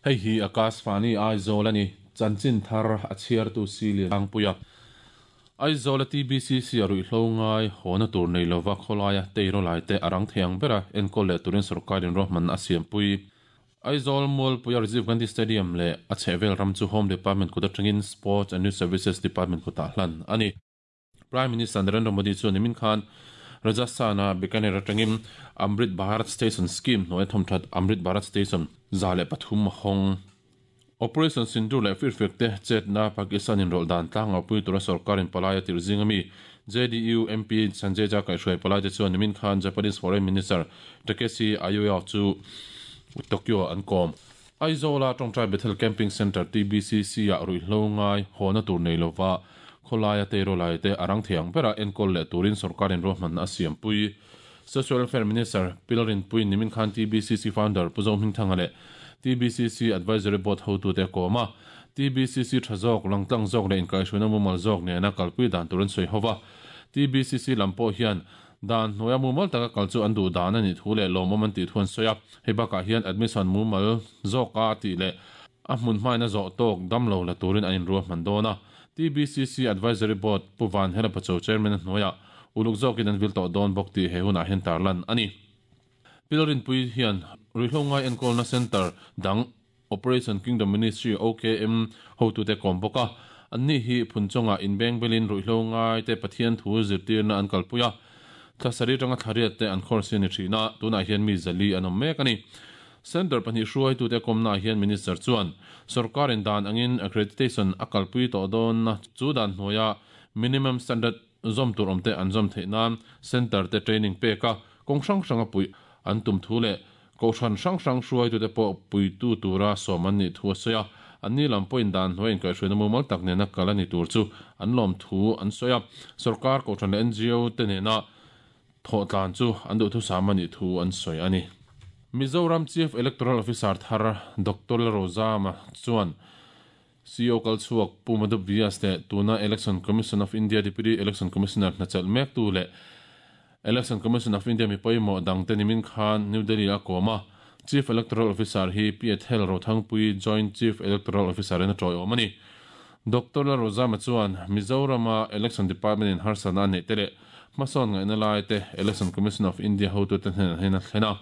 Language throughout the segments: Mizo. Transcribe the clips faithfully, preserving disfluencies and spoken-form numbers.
Hei hi Akashvani Aizawl ani chanchin thar a chhiar tu si lian puia Aizawl a T B C C a ruihhlo ngai hawna tur nei lova khawlaia teiro lai te arang thiang bera enkawl leh turin sorkarin ruahman a siampui Aizawl Mualpui Rajiv Gandhi Stadium le a chhehvel ram chu Home Department kut atangin Sports and Youth Services Department kutah hlan ani. Prime Minister Narendra Modi chu nimin khan Rajasthana Bikaner atangin Amrit Bharat Station Scheme hnuai thawmthat Amrit Bharat Station za leh pathum hawng Operation Sindoor leh firfek te chetna Pakistan in rol dan tlanga pui tura sorkarin palai a tir zingami J D U M P Sanjay Jha kaihhruai palai te chuan nimin khan Japanese Foreign Minister Takeshi Ayuya chu Tokyo an kom. Aizawl a Tawngtai Bethel Camping Center T B C C a ruihhlo ngai hawna tur nei lova khawlaia teiro lai te arang thiang bera enkawl leh turin sorkarin ruahman a siampui. Social Welfare Minister Pilarin Pui nimin khan T B C C founder Pu Zohming Thanga leh T B C C Advisory Board hotu te kawma T B C C tha zawk langtlang zawk leh inkaihhruina mumal zawk nena kalpui dan turin sawi hova. T B C C lam pawh hian dan hnuaia mumal taka kal chu an duh dan ani thu leh lawmawm an tih thu an sawi a. Hei bakah hian admission mumal zawka tih leh a hmun hmaina zawh tawk damlo la turin an inruahman dawn a. T B C C Advisory Board Pu Van Hela Pacho Chairman hnuaia uluk zawkin an vil tawh dawn bawk tih he hunah hian tarlan ani. Pilarin Pui hian ruihhlo ngai enkawlna center dang Operation Kingdom Ministry O K M hotu te kawm bawk a. Anni hi phunchawnga inbeng belin ruihhlo ngai te Pathian thu zirtirna an kalpui a. Thlasari tanga thlariat te an khawr sian ni thina tunah hian mi zali an awm mek ani. Center pahnih hruaitu te kawmna hian minister chuan sorkarin dan angin accreditation a kalpui tawh dawn na chu dan hnuaia minimum standard zawm tur awm te an zawm theih nan center te training pek a kawng hrang hrang a pui an tum thu leh kohhran hrang hrang hruaitu te pawh puitu tura sawm an nih thu a sawi a. Anni lam pawhin dan hnuai inkaihhruaina mumal tak nena kal ani tur chu an lawm thu an sawi a. Sorkar kohhran leh N G O te nena thawh tlan chu an duh thu sam ani thu an sawi ani. Mizoram Chief Electoral Officer thar Doctor Rozama chuan C O kalchhuak Pu Madhu Vyas te tuna Election Commission of India Deputy Election Commissioner hnachal mek tu leh Election Commission of India mi pawimawh dang te nimin khan New Delhi a kawma. Chief Electoral Officer hi P Ethel Rothangpui Joint Chief Electoral Officer in a tawi awm ani. Doctor Rozama chuan Mizorama Election Department in harsana nei te leh hmasawn ngaihna lai te Election Commission of India hotu te hnenah hian a thlen a.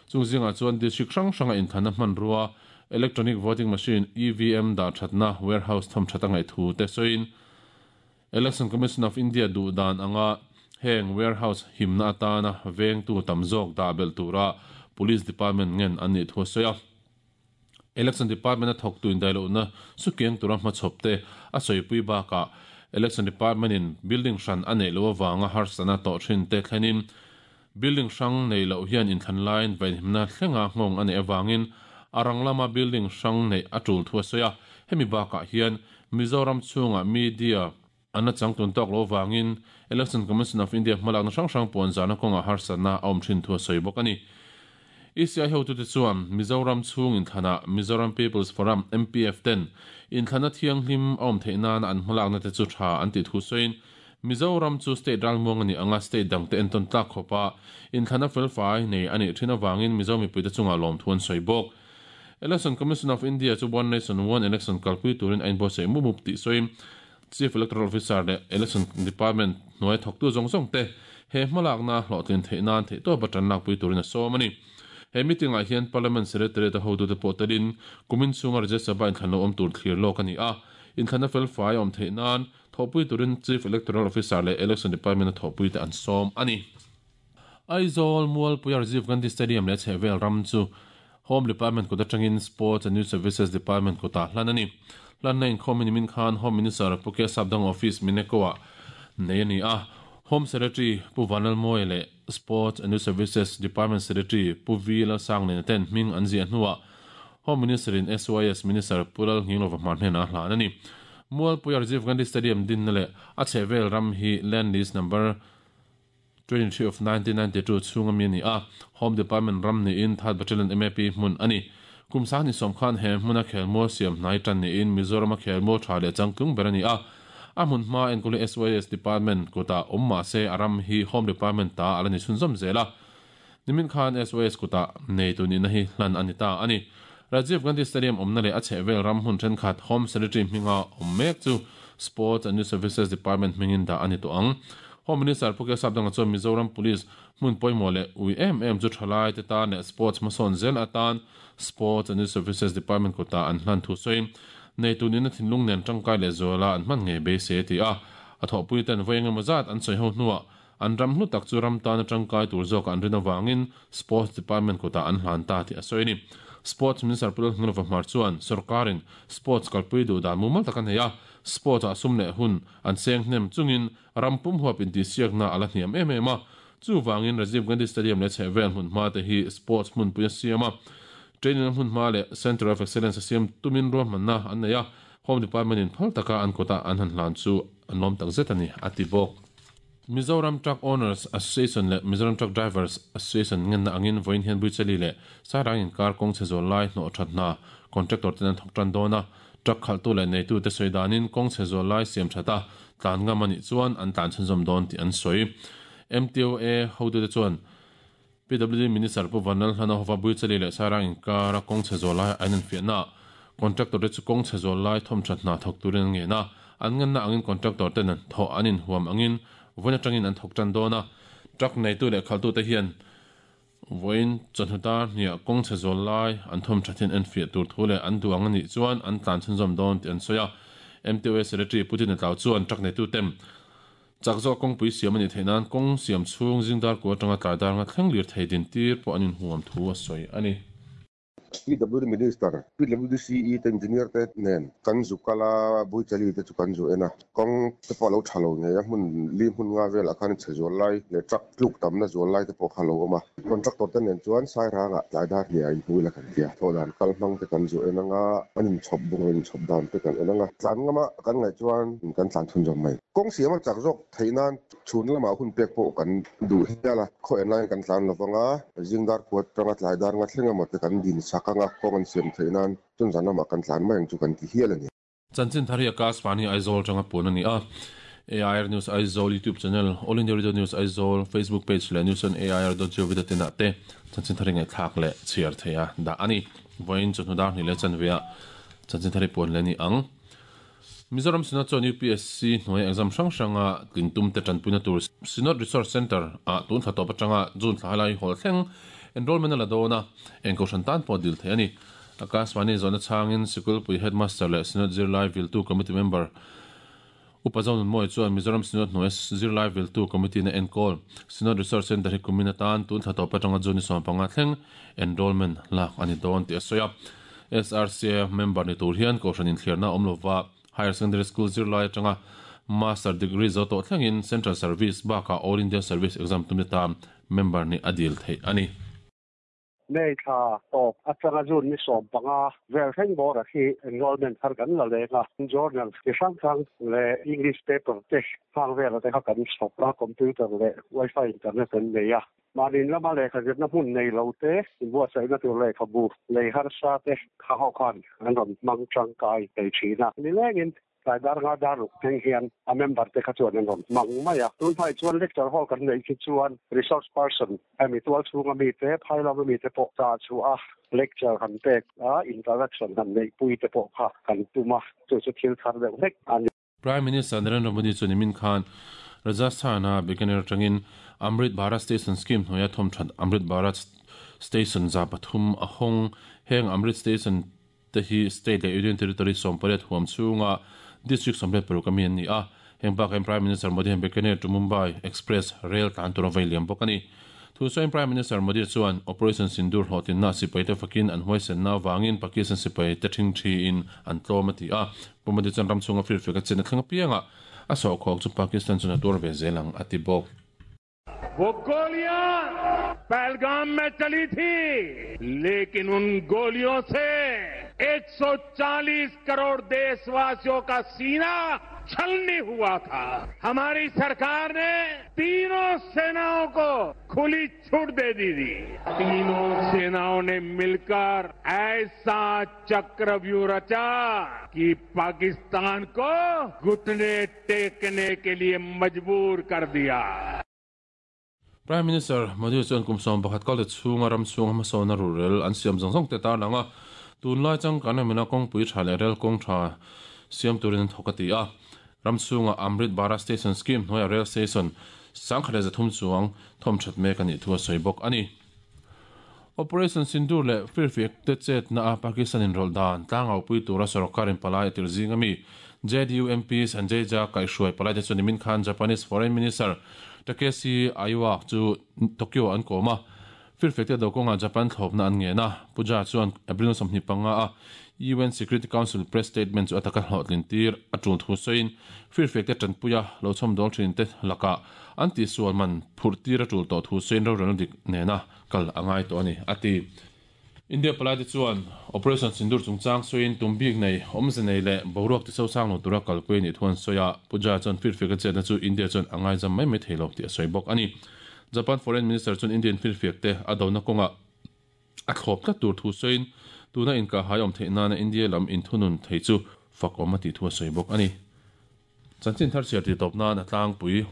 Chung zingah chuan district hrang hranga inthlanna hmanrua electronic voting machine E V M dah thatna warehouse thawm that a ngaih thu te sawiin Election Commission of India duh dan anga heng warehouse himna atana vengtu tam zawk dah bel tura Police Department ngen an nih thu a sawi a. Election Department a thawk tu indaihlohna sukiang tura hmachhawp te a sawipui bakah Election Department in building hran a neih lo awanga harsana tawh thin te thlenin building hrang nei loh hian inthlan laiin vainhimna thlenga nghawng a neih awangin arang lama building hrang nei a tul thu a sawi a. Hemi bakah hian Mizoram chhunga media an a changtun tawk lo awangin Election Commission of India hmalakna hrang hrang puan zana kawnga harsana a awm thin thu a sawi bawk ani. E C I hotu te chuan Mizoram chhung inthlana Mizoram People's Forum M P F ten inthlana thianghlim a awm theih nan an hmalakna te chu tha an ti thu sawiin Mizoram chu state ralmuang ani anga state dang te enton tlak khawpa inthlana felfai nei ani thin awangin Mizo mipui te chunga lawm thu an sawi bawk. Election Commission of India chu One Nation One Election kalpui turin a inbuatsaih mup mup tih sawiin Chief Electoral Officer leh Election Department hnuai thawktu zawng zawng te he hmalakna hlawhtlin theih nan theih tawp a tan lakpui turin a sawm ani. He meeting ah hian Parliament Secretary te hotu te pawh telin kumin chhunga Rajya Sabha inthlan lo awm tur thlir lawk ani a. Inthlana felfai awm theih nan thawhpui turin Chief Electoral Officer leh Election Department a thawhpui te an sawm ani. Aizawl Mualpui Rajiv Gandhi Stadium leh chhehvel ram chu Home Department kut atangin Sports and Youth Services Department kutah hlan ani. Hlanna inkhawm nimin khan Home Minister Pu K Sapdang Office Mineko-ah nei ani a. Home Secretary Pu Vanlal Mawi leh Sports and Youth Services Department Secretary Pu V Lalsangliana ten hming an ziah hnuah Home Minister in S Y S Minister Pu Lal Nghinglova hmar hnenah hlan ani. Mualpui Rajiv Gandhi Stadium din na leh a chhehvel ram hi Land List number twenty-three of nineteen ninety-two chhunga mi ani a. Home Department ram ni in Third Battalion M A P hmun ani. Kum sang ni sawm khan he hmuna khelmual siam hnai tan ni in Mizoram a khelmual tha leh changtlung ber ani a. A hmun hma enkawli S Y S Department kutah awm mah se a ram hi Home Department ta ala ni chhunzawm zel a. Nimin khan S Y S kutah nei tu ni na hi hlan ani ta ani. Rajiv Gandhi Stadium awmna leh a chhehvel ram hmun thenkhat Home Secretary hminga awm mek chu Sports and Youth Services Department hmingin dah a ni tawh ang. Home Minister Pu Sapdanga chuan Mizoram Police hmun pawimawh leh ui em em chu thalai te tan leh sports hmasawn zel atan Sports and Youth Services Department kutah an hlan thu sawiin nei tunin a thinlung nen tangkai leh zuala an hman ngei beisei ti a a thawhpui ten vawi engemaw zat an sawi ho hnuah an ram hlu tak chu ram tan atangkai tur zawk an rin awangin Sports Department kutah an hlan ta ti a sawi ni. Sports Minister Pu Lalnghinglova Hmar chuan sarkarin sports kalpui duh dan mumal tak a nei a sports ah sum leh hun an seng hnem chungin ram pum huap intihsiakna a la hniam em em a chuwangin Rajiv Gandhi Stadium leh chhehvel hmun hma te hi sports hmun pui a siam a training hmun hma leh Center of Excellence a siam tumin ruahmanna an nei a Home Department in phal taka an kutah an han hlan chu an lawm tak zet a ni a ti bawk. Mizoram Truck Owners Association leh Mizoram Truck Drivers Association ngenna angin vawiin hian Buichali leh Sairang inkar kawng chhe zawl lai hnawh that hna contractor ten an thawk tan dawn a truck khalhtu leh neitu te sawi danin kawng chhe zawl lai siam thata tlan ngam ani chuan an tlan chhunzawm dawn tih an sawi. M T O A hotu te chuan P W D Minister Pu Vanlal Hlana hova Buichali leh Sairang inkara kawng chhe zawl lai an infiahna contractor te chu kawng chhe zawl lai thawm that hna thawk turin an ngen a an ngenna angin contractor ten an thawh an inhuam angin vawiin atangin an thawk tan dawn a truck neitu leh khalhtu te hian vawiin chawhnu dar hniah kawng chhe zawl lai an thawm thatin en fiah tur thu leh an duang ani chuan an tlan chhunzawm dawn tih an sawi a. M T O A Secretary Pu Tin Tlau chuan truck neitu tem chak zawk kawngpui siam ani theih nan kawng siam chhung zingdar ku atanga tlai dar nga thleng lir thei din tir pawh an inhuam thu a sawi ani. P W D Minister, P W D C E te engineer te nen kan zu kala Buichali te chu kan zu ena kawng te pawh lo tha lo ngei a hmun li hmun nga velah khan chhe zual lai leh truck tluk tamna zual lai te pawh kha lo awm a contractor te nen chuan Sairanga tlai dar hniah inhmui la kan tia thawh dan kal hmang te kan zu en anga an inchhawp bung inchhawp dan te kan en anga tlan ngama kan ngaih chuan kan tlan chhunzawm mai. Kawng siam a chak zawk theih nan chhun lamah hun pek pawh kan duh hial a khaw en laiin kan tlan lovanga zingdar khuat tanga tlai dar nga thleng emaw te kan din sak anga kawng an siam theih nan chun zan lamah kan tlan mai ang chu kan ti hial ani. Chanchin thar hi Akashvani Aizawl tanga pun ani a A I R News Aizawl YouTube channel, All India Radio News Aizawl Facebook page leh news on A I R dot gov dot in ah te chanchin thar ngai thlak leh chhiar theia dah ani. Vawiin chawhnu dar hnih leh chanvea chanchin thar hi puan leh ni ang. Mizoram Synod chuan U P S C hnuai exam hrang hranga tlintum te tanpuina tur Synod Resource Center ah tun thla tawp atanga June thla lai hawl thleng enrollment a la dawn a engko hran tan pawh dil thei ani. Akashvani zawhna changin Sikulpui Headmaster leh Synod Zirlai Viltu Committee Member Upa Zonun Mawi chuan Mizoram Synod hnuai Zirlai Viltu Committee na enkawl Synod Resource Center hi kumin atan tun thla tawp atanga June ni sawm panga thleng enrollment lak ani dawn tih a sawi a. S R C A member ni tur hian kohhran inthliarna awm lova Higher Secondary School zirlai atanga Master Degree zo tawh thlengin Central Service baka All India Service Exam tum ta member ni adil thei ani. Nei tha tawp atanga June ni sawm panga vel thleng bawr a hi enrollment thar kan la lenga journal ti hrang hrang leh English paper te hang vel te kha kan chhawp a computer leh wifi internet an nei a manin lama lehkha zirna hmun nei lo te inbuatsaihna tur lehkha bu lei harsa te kha ho khan an rawn hmang tangkai thei thin a ni lengin tlai dar nga dar ruk thleng hian a member te kha chuan an rawn hmang mai a tun phai chuan lecture hall kan nei khi chuan resource person hemi tual chhunga mi te phai lama mi te pawh cha chu a lecture han pek a interaction han nei pui te pawh kha kan tuma chu chu thil thar deuh hlek ani. Prime Minister Narendra Modi chuan nimin khan Rajasthan a Bikaner tangin Amrit Bharat Station Scheme hnuaia thawm that Amrit Bharat Station za pathum a hawng heng Amrit Station te hi state leh union territory sawm pariat huam chhunga district sawm pariat paruk ami an ni a heng bakah Prime Minister Modi hian Bikaner to Mumbai Express rail tlan tur a vei liam bawk ani. Thu sawiin Prime Minister Modi chuan Operation Sindoor hlawhtinna sipai te fakin an huaisenna wangin Pakistan sipai te thing thi in an tlawm a ti a Pu Modi chuan ram chhunga firfek a chen a thleng apianga a sawhkhawk chu Pakistan chuan a tur ve zelang a ti bawk. वो गोलियां पहलगाम में चली थी लेकिन उन गोलियों से एक सौ चालीस करोड़ देशवासियों का सीना छलनी हुआ था। हमारी सरकार ने तीनों सेनाओं को खुली छूट दे दी थी। तीनों सेनाओं ने मिलकर ऐसा चक्रव्यूह रचा कि पाकिस्तान को घुटने टेकने के लिए मजबूर कर दिया। Prime Minister Modi chuan kum sawm pakhat kal te chhunga ram chhunga hmasawn a rurel an siam zawng zawng te tar langa Tun lai chang kan amena kong pui tha le rel kong tha siam turin thokati a ramchunga Amrit Bharat Station Scheme hnuaia rail station sangkhale zathum chuang thom that mek ani thua soibok ani. Operation Sindoor le firfiak te chet na a Pakistan in rol dan tlangau pui tura sarkarin palai tir zingami J D U M P Sanjay Jha kaihruai palai te chuan nimin khan Japanese Foreign Minister Takeshi Aiwa chu Tokyo an koma firfiak te dokonga Japan thlopna an nge na puja chuan April sawmhnih panga a U N Security Council press statement chu ataka hlawhtlin tir atul thu soin firfiak te tanpuia lo chhom dol thin te laka anti sualman phurtir atul to thu soin ro ran dik nena kal angai to ani ati. India palai te chuan Operation Sindoor chungchang soin tumbik nei omze nei le boruak ti so sang lo tura kalpui ni thuan soya puja chuan firfiak che na chu India chuan angai jam mai mai theilo ti a soibok ani. Japan Foreign Minister chuan Indian firfiak te adona konga a thlop tlat tur thu soin tuna inka hai om theina na India lam in thunun thei chu fakom ati thua soibok ani. Chanchin thar siar ti topna na tlang pui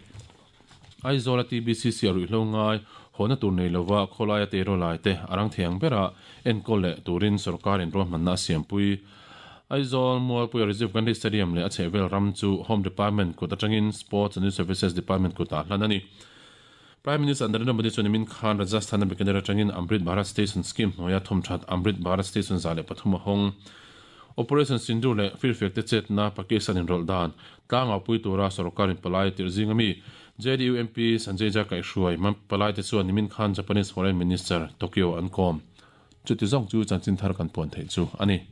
Aizawl T B C C ruihhlo ngai hona tur nei lova khawlaia te ro lai te arang thiang bera enkawl leh turin sarkarin ruahmanna a siampui. Aizawl Mualpui Rajiv Gandhi Stadium leh a chhehvel ram chu Home Department kut atangin Sports and Youth Services Department kutah hlan ani. Prime Minister Narendra Modi chuan nimin khan Rajasthan a Bikaner atangin Amrit Bharat Station Scheme hnuaia thawmthat Amrit Bharat Station za leh pathum a hawng. Operation Sindoor leh firfiak te chetna Pakistan in rol dan tlangau pui tura sarkarin palai tir zingami J D U M P Sanjay Jha kaihruai palai te chuan nimin khan Japanese Foreign Minister Tokyo an kom. Chuti zawng chu chanchin thar kan puan thei chu ani.